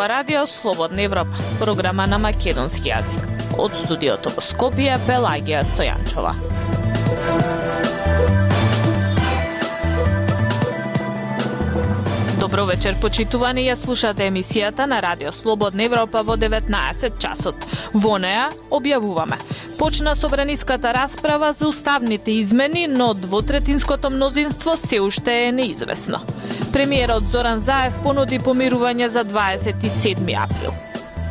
Ова радио Слободна Европа, програма на македонски јазик. Од студиото во Скопје, Пелагија Стојанчова. Добро вечер, почитувани, ја слушате емисијата на Радио Слободна Европа во 19 часот. Во неа објавуваме: почна собраниската расправа за уставните измени, но двотретинското мнозинство се уште е неизвестно. Премиерот Зоран Заев понуди помирување за 27 април.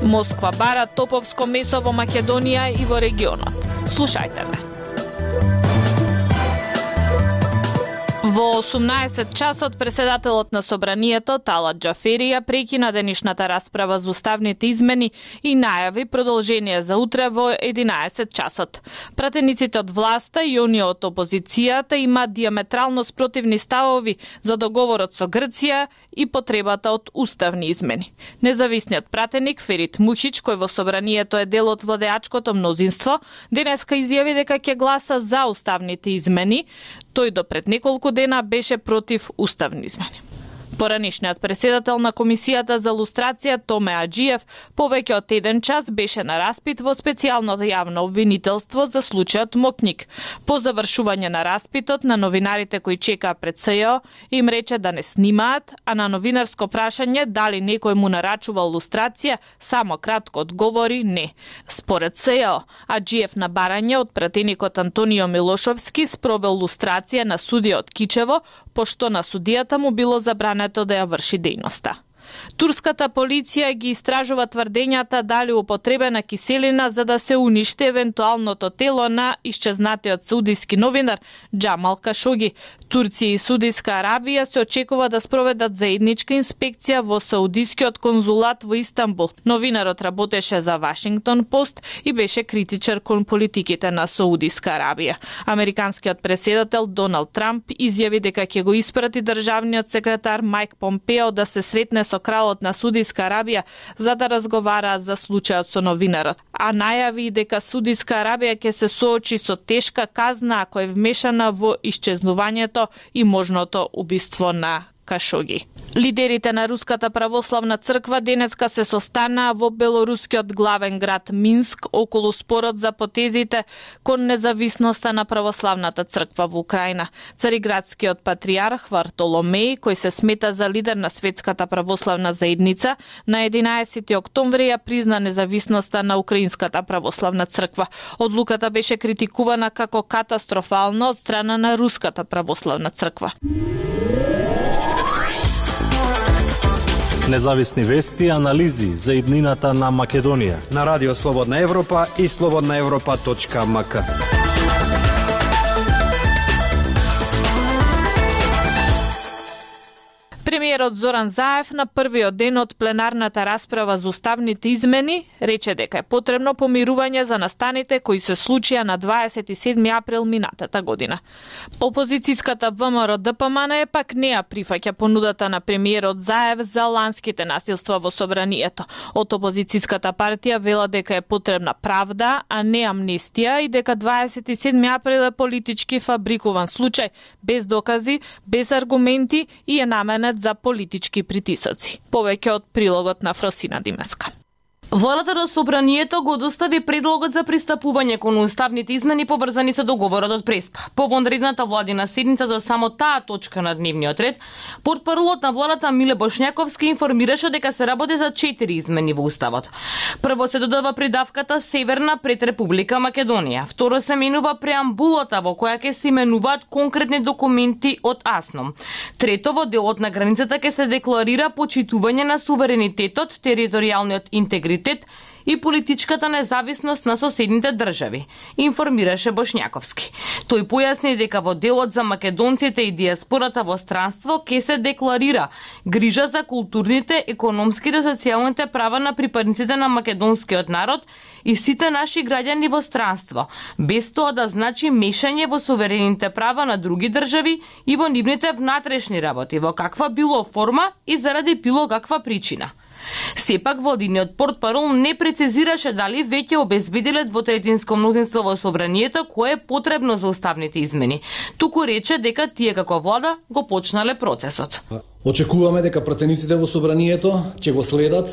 Москва бара топовско месо во Македонија и во регионот. Слушајте ме. Во 18 часот преседателот на собранието Талат Џафери ја прекина денешната расправа за уставните измени и најави продолжение за утре во 11 часот. Пратениците од власта и оние од опозицијата имаат диаметрално спротивни ставови за договорот со Грција и потребата од уставни измени. Независниот пратеник Ферит Мухич, кој во собранието е дел од владеачкото мнозинство, денеска изјави дека ќе гласа за уставните измени. Тој до пред неколку дена беше против уставни измени. Поранишниот преседател на Комисијата за лустрација Томе Аџиев повеќе од 1 час беше на распит во специјалното јавно обвинителство за случајот Мокник. По завршување на распитот на новинарите кои чекаа пред СЈО им рече да не снимаат, а на новинарско прашање дали некој му нарачувал лустрација, само кратко одговори не. Според СЈО, Аџиев на барање од пратеникот Антонио Милошовски спровел лустрација на судиот Кичево, пошто на судијата му било забрането да ја врши дејноста. Турската полиција ги истражува тврдењата дали употребена киселина за да се уништи евентуалното тело на исчезнатиот саудиски новинар Џамал Кашоги. Турција и Саудиска Арабија се очекува да спроведат заедничка инспекција во саудискиот конзулат во Истанбул. Новинарот работеше за Вашингтон Пост и беше критичар кон политиките на Саудиска Арабија. Американскиот преседател Доналд Трамп изјави дека ќе го испрати државниот секретар Мајк Помпео да се сретне со кралот на Саудиска Арабија за да разговараат за случајот со новинарот, а најави дека Саудиска Арабија ќе се соочи со тешка казна ако е вмешана во исчезнувањето и можното убиство на Кашоги. Лидерите на Руската православна црква денеска се состанаа во белорускиот главен град Минск околу спорот за потезите кон независноста на православната црква во Украина. Цариградскиот патријарх Вартоломеј, кој се смета за лидер на светската православна заедница, на 11 октомври ја призна независноста на Украинската православна црква. Одлуката беше критикувана како катастрофална од страна на Руската православна црква. Независни вести и анализи за иднината на Македонија на Радио Слободна Европа и slobodnaevropa.mk. Премиерот Зоран Заев на првиот ден од пленарната расправа за уставните измени рече дека е потребно помирување за настаните кои се случија на 27 април минатата година. Опозицијската ВМРО ДПМН пак не ја прифаќа понудата на премиерот Заев за ланските насилства во собранието. Од опозицијската партија вела дека е потребна правда, а не амнестија и дека 27 април е политички фабрикуван случај, без докази, без аргументи и е наменет за политички притисоци. Повеќе од прилогот на Фросина Димеска. Владата до собранието го достави предлогот за пристапување кон уставните измени поврзани со договорот од Преспа. По вонредната владина седница за само таа точка на дневниот ред, портпаролот на владата Миле Бошњаковски информираше дека се работи за 4 измени во уставот. Прво се додава придавката Северна пред Република Македонија. Второ се менува преамбулата во која ќе се именуваат конкретни документи од АСНОМ. Трето, во делот на границата ќе се декларира почитување на суверенитетот, територијалниот интегритет и политичката независност на соседните држави, информираше Бошњаковски. Тој појасни дека во делот за македонците и диаспората во странство ќе се декларира грижа за културните, економските и социјалните права на припадниците на македонскиот народ и сите наши граѓани во странство, без тоа да значи мешање во суверените права на други држави и во нивните внатрешни работи, во каква било форма и заради било каква причина. Сепак владиниот портпарол не прецизираше дали веќе обезбедиле двотретинско мнозинство во собранието кое е потребно за уставните измени. Туку рече дека тие како влада го почнале процесот. Очекуваме дека пратениците во собранието ќе го следат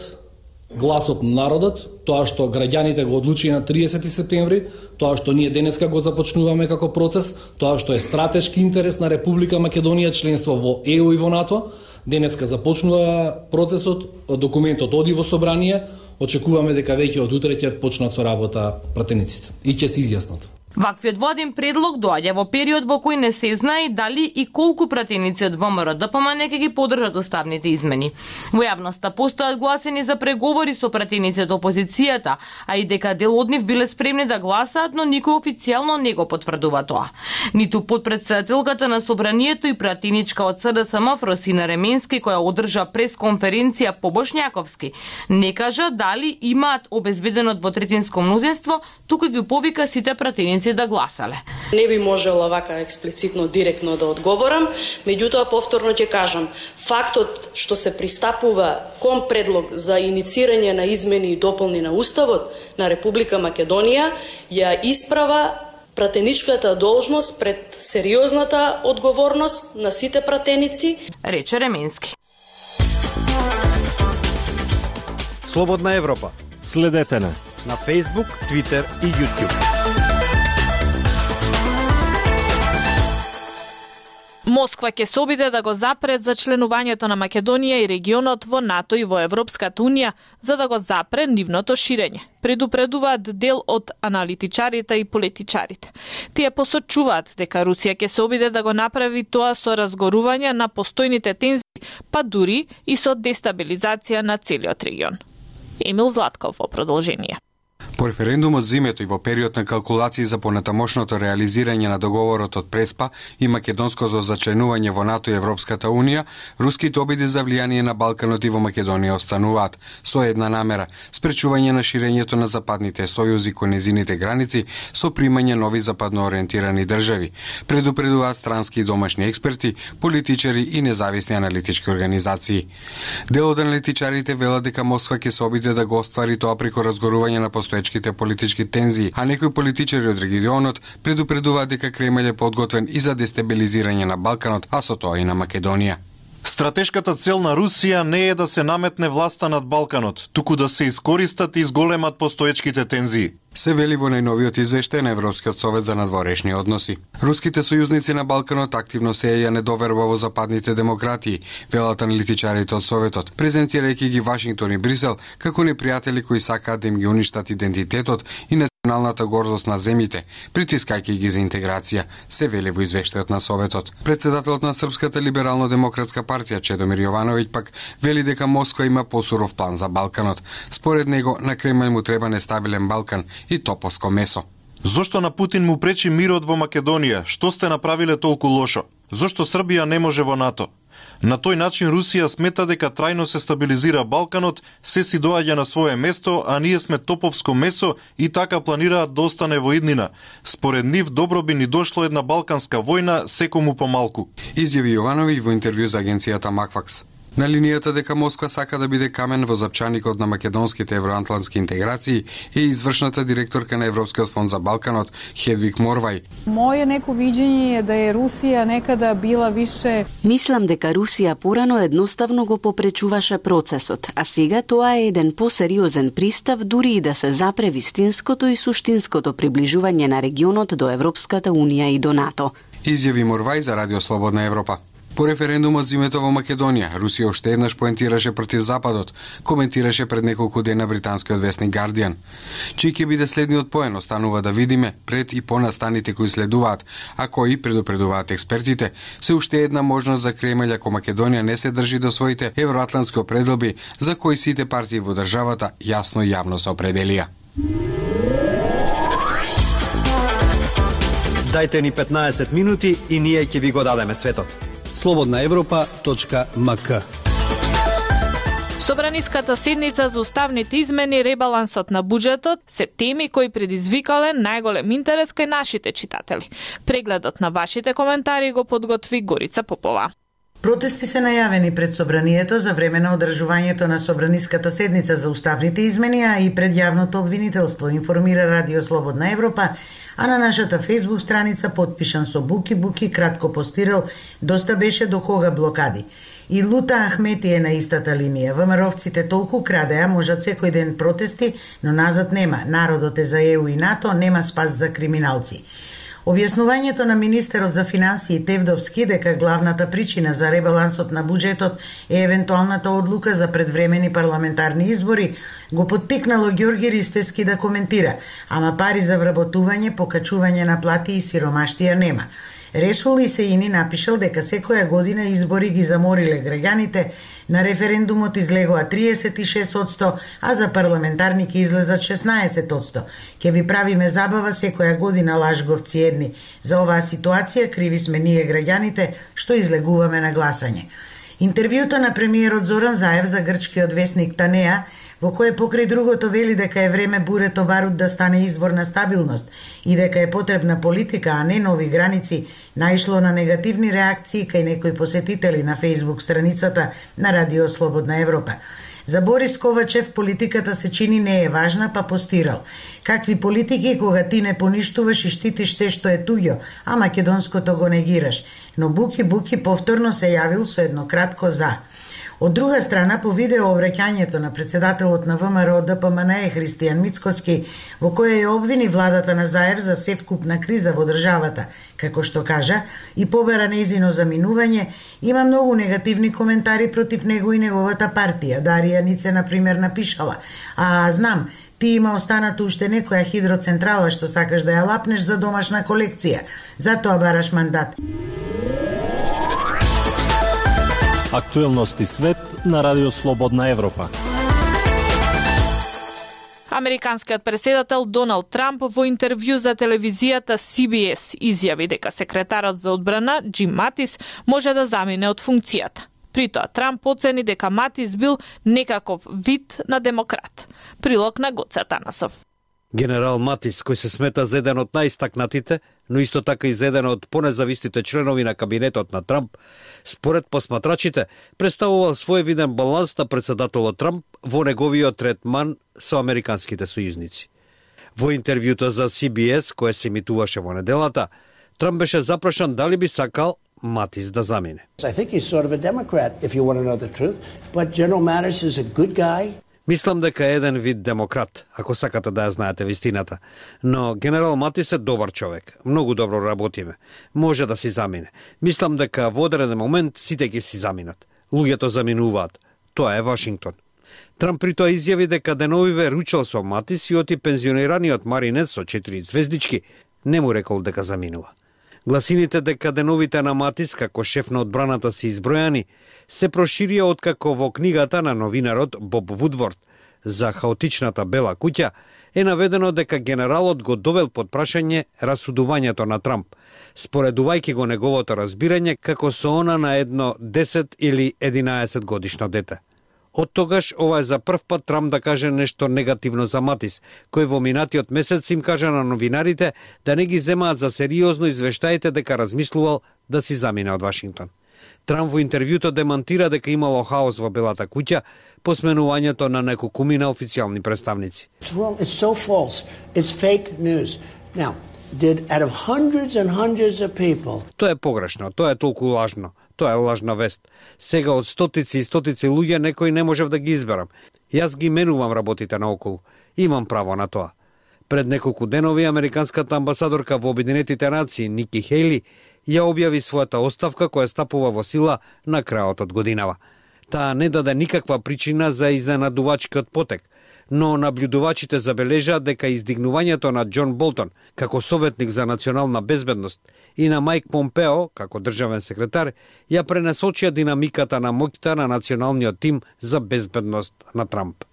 гласот на народот, тоа што граѓаните го одлучи на 30 септември, тоа што ние денеска го започнуваме како процес, тоа што е стратешки интерес на Република Македонија членство во ЕУ и во НАТО, денеска започнува процесот, документот оди во собрание, очекуваме дека веќе од утре ќе почнат со работа пратениците и ќе се изјаснат. Ваквиот владин предлог доаѓа во период во кој не се знае дали и колку пратеници од ВМРО-ДПМН ќе ги поддржат уставните измени. Во јавноста постојат гласини за преговори со пратеници од опозицијата, а и дека дел од нив биле спремни да гласаат, но никој официјално не го потврдува тоа. Ниту потпредседателката на собранието и пратеничка од СДСМ Фросина Ременски, која одржа пресконференција по Бошњаковски, не кажа дали имаат обезбедено двотретинско мнозинство, туку ги повика сите пратеници да гласале. Не би можела вака експлицитно, директно да одговорам, меѓутоа повторно ќе кажам, фактот што се пристапува кон предлог за иницирање на измени и дополни на Уставот на Република Македонија ја исправа пратеничката должност пред сериозната одговорност на сите пратеници, рече Ременски. Слободна Европа. Следете на Facebook, Twitter и YouTube. Москва ќе се обиде да го запре за членувањето на Македонија и регионот во НАТО и во Европската унија, за да го запре нивното ширење. Предупредуваат дел од аналитичарите и политичарите. Тие посочуваат дека Русија ќе се обиде да го направи тоа со разгорување на постојните тензии, па дури и со дестабилизација на целиот регион. Емил Златков во продолжение. По референдумот зимето и во период на калкулации за понатамошното реализирање на договорот од Преспа и македонското зачленување во НАТО и Европската унија, руските обиди за влијание на Балканот и во Македонија остануваат со една намера – спречување на ширењето на западните сојузи кон незините граници со примање нови западно ориентирани држави. Предупредуваат странски и домашни експерти, политичари и независни аналитички организации. Дел од аналитичарите велат дека Москва ќе се обиде да го оствари тоа преку разгорување на постоечките политички тензии, а некои политичари од регионот предупредуваат дека Кремљ е подготвен и за дестабилизирање на Балканот, а со тоа и на Македонија. Стратешката цел на Русија не е да се наметне власта над Балканот, туку да се искористат и изголемат постоечките тензии. Се вели во најновиот извештај на Европскиот совет за надворешни односи. Руските сојузници на Балканот активно сеја недоверба во западните демократии, велат аналитичарите од Советот, презентирајќи ги Вашингтон и Брисел како непријатели кои сакаат да им ги уништат идентитетот и националната гордост на земјите, притискајќи ги за интеграција, се вели во извештајот на Советот. Председателот на Српската либерално-демократска партија Чедомир Јовановиќ пак вели дека Москва има посуров план за Балканот. Според него на Кремљ му треба нестабилен Балкан и топовско месо. Зошто на Путин му пречи мирот во Македонија? Што сте направиле толку лошо? Зошто Србија не може во НАТО? На тој начин Русија смета дека трајно се стабилизира Балканот, се си доаѓа на свое место, а ние сме топовско месо и така планираат да остане во иднина. Според нив добро би ни дошло една балканска војна, секому помалку. Изјави Јовановиќ во интервју за агенцијата Макфакс. На линијата дека Москва сака да биде камен во запчаникот на македонските евроатлантски интеграции е извршната директорка на Европскиот фонд за Балканот Хедвиг Морвај. Моје неко видење е да е Русија некада била више... Мислам дека Русија порано едноставно го попречуваше процесот, а сега тоа е еден посериозен пристап дури и да се запре вистинското и суштинското приближување на регионот до Европската унија и до НАТО. Изјави Морвај за Радио Слободна Европа. По референдумот зимето во Македонија, Русија уште еднаш поентираше против Западот, коментираше пред неколку дена британскиот весник Guardian. Чиј ќе биде следниот поен, останува да видиме пред и по настаните кои следуваат, а кои, предупредуваат експертите, се уште една можност за Кремљ ако Македонија не се држи до своите евроатлантски определби, за кои сите партии во државата јасно и јавно се определија. Дајте ни 15 минути и ние ќе ви го дадеме светот. slobodnaevropa.mk Собраниската седница за уставните измени, ребалансот на буџетот се теми кои предизвикале најголем интерес кај нашите читатели. Прегледот на вашите коментари го подготви Горица Попова. Протести се најавени пред собранието за време на одржувањето на собраниската седница за уставните измени, а и пред јавното обвинителство, информира Радио Слободна Европа, а на нашата фејсбук страница подпишан со буки кратко постирал доста беше до кога блокади. И Лута Ахмети е на истата линија. ВМРО-вците толку крадеа, можат секој ден протести, но назад нема. Народот е за ЕУ и НАТО, нема спас за криминалци. Објаснувањето на министерот за финансии Тевдовски дека главната причина за ребалансот на буџетот е евентуалната одлука за предвремени парламентарни избори го поттикнало Ѓорги Ристевски да коментира, ама пари за вработување, покачување на плати и сиромаштија нема. Ресул Исеини напишал дека секоја година избори ги замориле граѓаните, на референдумот излегоа 36%, а за парламентарни ќе излезат 16%. Ке ви правиме забава секоја година, лажговци едни. За оваа ситуација криви сме ние граѓаните што излегуваме на гласање. Интервјуто на премиерот Зоран Заев за грчкиот весник Танеа, во кое покрај другото вели дека е време бурето барут да стане извор на стабилност и дека е потребна политика, а не нови граници, наишло на негативни реакции кај некои посетители на фејсбук страницата на Радио Слободна Европа. За Борис Ковачев политиката се чини не е важна, па постирал. Какви политики кога ти не поништуваш и штитиш се што е туѓо, а македонското го негираш. Но Буки повторно се јавил со едно кратко за. Од друга страна, по видео обраќањето на председателот на ВМРО ДПМНЕ Христијан Мицкоски, во кое ја обвини владата на Заев за севкупна криза во државата, како што кажа, и побера нејзино заминување, има многу негативни коментари против него и неговата партија. Дарија Нице, например, напишала: "А, знам, ти има останато уште некоја хидроцентрала што сакаш да ја лапнеш за домашна колекција, затоа бараш мандат." Актуелности свет на Радио Слободна Европа. Американскиот преседател Доналд Трамп во интервју за телевизијата CBS изјави дека секретарот за одбрана Џим Матис може да замине од функцијата. При тоа Трамп оцени дека Матис бил некаков вид на демократ. Прилог на Гоце Атанасов. Генерал Матис, кој се смета за еден од најстакнатите, но исто така и за еден од понезависните членови на кабинетот на Трамп, според посматрачите, представувал своевиден баланс на председателот Трамп во неговиот третман со американските сојузници. Во интервјуто за CBS, кое се емитуваше во неделата, Трамп беше запрашан дали би сакал Матис да замине. I think he's sort of a Democrat, if you want to know the truth, but General Mattis is a good guy. Мислам дека е еден вид демократ, ако сакате да ја знаете вистината. Но генерал Матис е добар човек, многу добро работиме. Може да си замине. Мислам дека во одреден момент сите ќе си заминат. Луѓето заминуваат. Тоа е Вашингтон. Трамп при тоа изјави дека деновиве ручал со Матис и оти пензионираниот маринец со 4 звездички не му рекол дека заминува. Гласините дека деновите на Матис како шеф на одбраната се избројани се проширија откако во книгата на новинарот Боб Вудворд за хаотичната бела куќа е наведено дека генералот го довел под прашање расудувањето на Трамп, споредувајќи го неговото разбирање како со она на едно 10 или 11 годишно дете. Од тогаш ова е за прв пат Трамп да каже нешто негативно за Матис, кој во минатиот месец им кажа на новинарите да не ги земаат за сериозно извештаите дека размислувал да си замине од Вашингтон. Трамп во интервјуто демантира дека имало хаос во Белата куќа по сменувањето на неколкумина официјални представници. It's so false. It's fake news. Now, out of hundreds and hundreds of people. Тоа е погрешно, тоа е толку лажно. Тоа е лажна вест. Сега од стотици и стотици луѓе некој не можев да ги изберам. Јас ги менувам работите наоколу. Имам право на тоа. Пред неколку денови американската амбасадорка во Обединетите нации Ники Хејли ја објави својата оставка која стапува во сила на крајот од годинава. Таа не даде никаква причина за изненадувачкиот потек, но наблюдувачите забележаат дека издигнувањето на Џон Болтон како советник за национална безбедност и на Мајк Помпео како државен секретар ја пренасочија динамиката на моќта на националниот тим за безбедност на Трамп.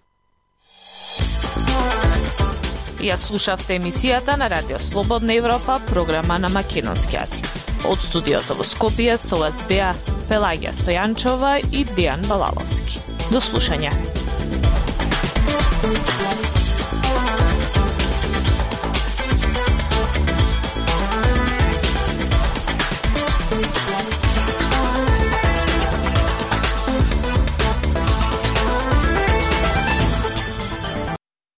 Ја слушавте емисијата на Радио Слободна Европа, програма на македонски јазик. Од студиото во Скопје со вас беа Пелагија Стојанчова и Дејан Балаловски. До слушање.